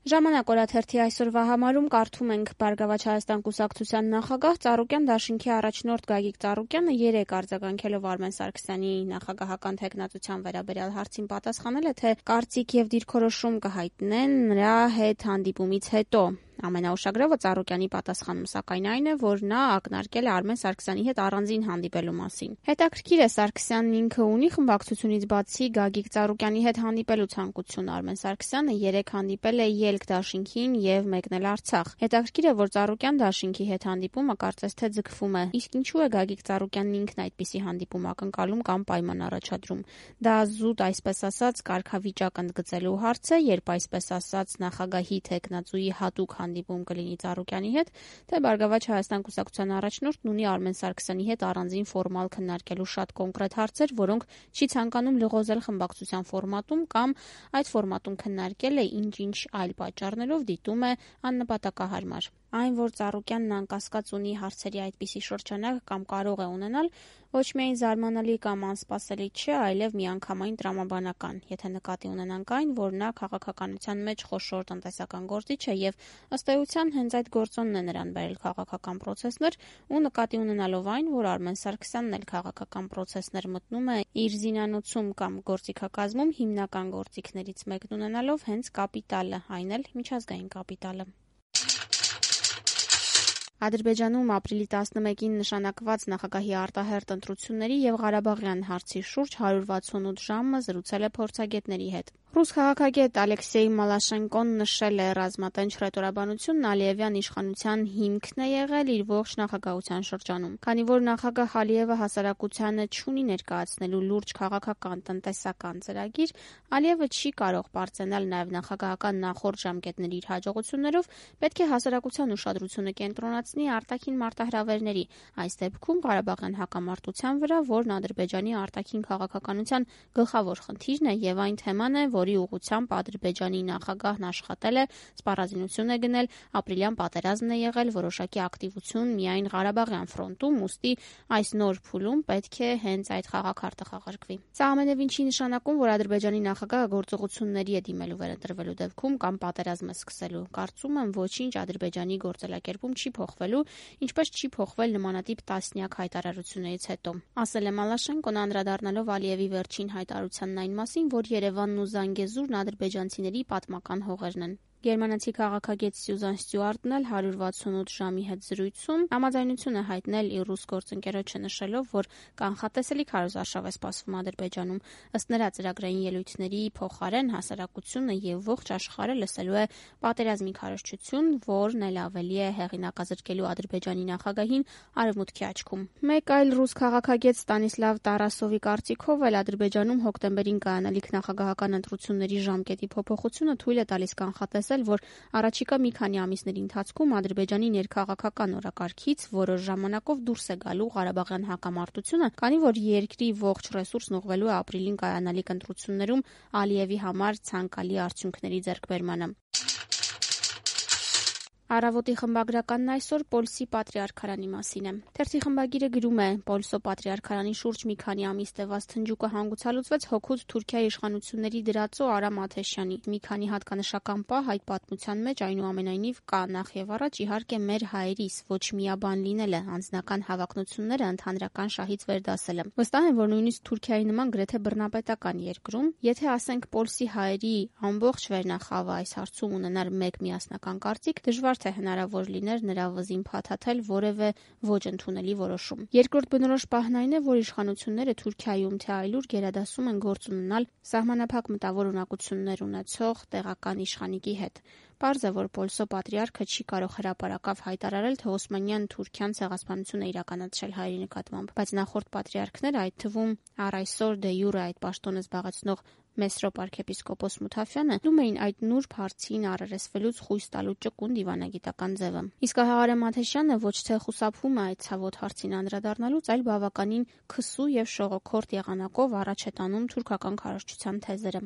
Ժամանակ օրաթերթի այսօրվա համարում կարդում ենք Բարգավաճ Հայաստան կուսակցության նախագահ Ծառուկյան դաշինքի առաջնորդ Գագիկ Ծառուկյանը 3 արձագանքելով Արմեն Սարգսյանի նախագահական թեկնածության վերաբերյալ հարցին պատասխանել է, թե կարծիք եւ դիրքորոշում կհայտնեն նրա հետ հանդիպումից հետո։ Ամենաուշագրավը Ծառուկյանի պատասխանում սակայն այն է, որ նա ակնարկել է Արմեն Սարգսյանի հետ առանձին հանդիպելու մասին։ Հետաքրքիր է, Սարգսյանն ինքը ունի խմբակցությունից բացի Գագիկ Ծառուկյանի հետ հանդիպելու ցանկություն։ Արմեն Սարգսյանը 3 հանդիպել է Ելք դաշինքին եւ մեկնել Արցախ։ Հետաքրքիր է, որ Ծառուկյան դաշինքի հետ հանդիպումը կարծես թե ձգվում է։ Իսկ ինչու է Գագիկ Ծառուկյանն ինքն այդպիսի հանդիպում ակնկալում կամ պայման առաջադրում։ Դա զուտ, այսպես ասած, կարգավիճակ ընդգծելու հարց է, երբ այսպես ասած նախագահի թեկնածուի հատուկ հանդիպում կլինի Ծառուկյանի հետ, թե Բարգավաճ Հայաստան կուսակցության առաջնորդն ունի Արմեն Սարգսյանի հետ առանձին ֆորմալ քննարկելու շատ կոնկրետ հարցեր, որոնք չի ցանկանում լղոզել խմբակցության ֆորմատում կամ այդ ֆորմատում քննարկել է ինչ-ինչ այլ պատճառներով դիտում է աննպատակահարմար։ Այն, որ Ծառուկյանն անկասկած ունի հարցերի այդպիսի շրջանակ կամ կարող է ունենալ, ոչ միայն զարմանալի կամ անսպասելի չէ, այլև միանգամայն տրամաբանական, եթե նկատի ունենանք այն, որ նա քաղաքականության մեջ խոշոր տնտեսական գործիչ է եւ ըստ էության հենց այդ գործոնն է նրան բերել քաղաքական պրոցեսներ ու նկատի ունենալով այն, որ Արմեն Սարգսյանն էլ քաղաքական պրոցեսներ մտնում է իր զինանոցում կամ գործիքակազմում հիմնական գործիքներից մեկն ունենալով հենց կապիտալը, այն էլ միջազգային կապիտալը։ Ադրբեջանում ապրիլի 11-ին նշանակված նախագահի արտահերթ ընտրությունների եւ Ղարաբաղյան հարցի շուրջ 168 ժամը զրուցել է փորձագետների հետ։ Ռուս քաղաքագետ Ալեքսեյ Մալաշենկոն նշել է, ռազմատենչ հռետորաբանությունն Ալիևյան իշխանության հիմքն է եղել իր ողջ նախագահության շրջանում։ Քանի որ նախագահ Ալիևը հասարակությանը չունի ներկայացնելու լուրջ քաղաքական տնտեսական ծրագիր, Ալիևը չի կարող պարծենալ նաև նախագահական նախորդ ժամկետների իր հաջողություններով, պետք է հասարակության ուշադրությունը կենտրոնացնի արտաքին մարտահրավերների, այս դեպքում Ղարաբաղյան հակամարտության վրա, որն Ադրբեջանի արտաքին քաղաքականության գլխավոր խնդիրն է եւ այն թեման է, որի ուղղությամբ Ադրբեջանի նախագահն աշխատել է, սպառազինություն է գնել, ապրիլյան պատերազմն է եղել, որոշակի ակտիվություն միայն Ղարաբաղյան ֆրոնտում, ուստի այս նոր փուլում պետք է հենց այդ խաղաքարտը խաղարկվի։ Սա ամենևին չի նշանակում, որ Ադրբեջանի նախագահը գործողությունների է դիմելու վերընտրվելու դեպքում կամ պատերազմ է սկսելու։ Կարծում եմ, ոչինչ Ադրբեջանի գործելակերպում չի փոխվելու, ինչպես չի փոխվել նմանատիպ տասնյակ հայտարարություններից հետո։ Ասել է Մալաշենկոն անդրադառնալով Ալիևի վերջին հայտարարությանն այն մասին, որ Երևանն ու Զանգեզուրն ադրբեջանցիների պատմական հողերն են։ Գերմանացի քաղաքագետ Սյուզան Ստյուարտն էլ 168 ժամի հետ զրույցում համաձայնություն է հայտնել իր ռուս գործընկերոջը նշելով, որ կանխատեսելի քարոզարշավ է սպասվում Ադրբեջանում։ Ըստ նրա ծրագրային ելույթների փոխարեն հասարակությունը եւ ողջ աշխարհը լսելու է պատերազմի քարոզչություն, որն էլ ավելի է հեղինակազրկելու Ադրբեջանի նախագահին արևմուտքի աչքում։ Մեկ այլ ռուս քաղաքագետ Ստանիսլավ Տարասովի կարծիքով էլ Ադրբեջանում հոկտեմբերին կայանալիք նախագահական ընտրությունների ժամկետի փոփոխությունը թույլ է տալիս կանխատեսել, որ առաջիկա մի քանի ամիսների ընթացքում Ադրբեջանի ներքաղաքական օրակարգից որոշ ժամանակով դուրս է գալու Ղարաբաղյան հակամարտությունը, քանի որ երկրի ողջ ռեսուրսն ուղղվելու է ապրիլին կայանալիք ընտրություններում Ալիևի համար ցանկալի արդյունքների ձեռքբերմանը։ Առավոտի խմբագրականն այսօր Պոլսի Պատրիարքարանի մասին է։ Թերթի խմբագիրը գրում է. Պոլսո Պատրիարքարանի շուրջ մի քանի ամիս տևած թնջուկը հանգուցալուծվեց հօգուտ Թուրքիայի իշխանությունների դրածո Արամ Աթեշյանի։ Մի քանի հատկանշական պահ այդ պատմության մեջ այնուամենայնիվ կա նախ եւ առաջ իհարկե մեր հայերիս ոչ միաբան լինելը, անձնական հավակնությունները ընդհանրական շահից վերդասելը։ Վստահ եմ, որ նույնիսկ Թուրքիայի նման գրեթե բռնապետական երկրում, եթե ասենք Պոլսի հայերի ամբողջ վերնախավը այս հարցում ունենար մեկ միասնական կարծիք, դժվար թե հնարավոր լիներ նրա վզին փաթաթել որևէ ոչ ընդունելի որոշում։ Երկրորդ բնորոշ պահն այն է, որ իշխանությունները Թուրքիայում թե այլուր գերադասում են գործ ունենալ սահմանափակ մտավոր ունակություններ ունեցող տեղական իշխանիկի հետ։ Պարզ է, որ Պոլսո Պատրիարքը չի կարող հրապարակավ հայտարարել, թե Օսմանյան Թուրքիան ցեղասպանություն է իրականացրել հայերի նկատմամբ, բայց նախորդ պատրիարքները, այդ թվում առ այսօր դե յուրե այդ պաշտոնը զբաղեցնող Մեսրոպ arczepiskopos Մութաֆյանը լում էին այդ նուրբ հարցին առերեսվելուց խույս տալու ճկուն դիվանագիտական ձևը։ Իսկ Արամ Աթեշյանը ոչ թե խուսափում է այդ ցավոտ հարցին անդրադառնալուց, այլ բավականին քսու եւ շողոքորթ եղանակով առաջ է տանում թուրքական քարոզչության թեզերը։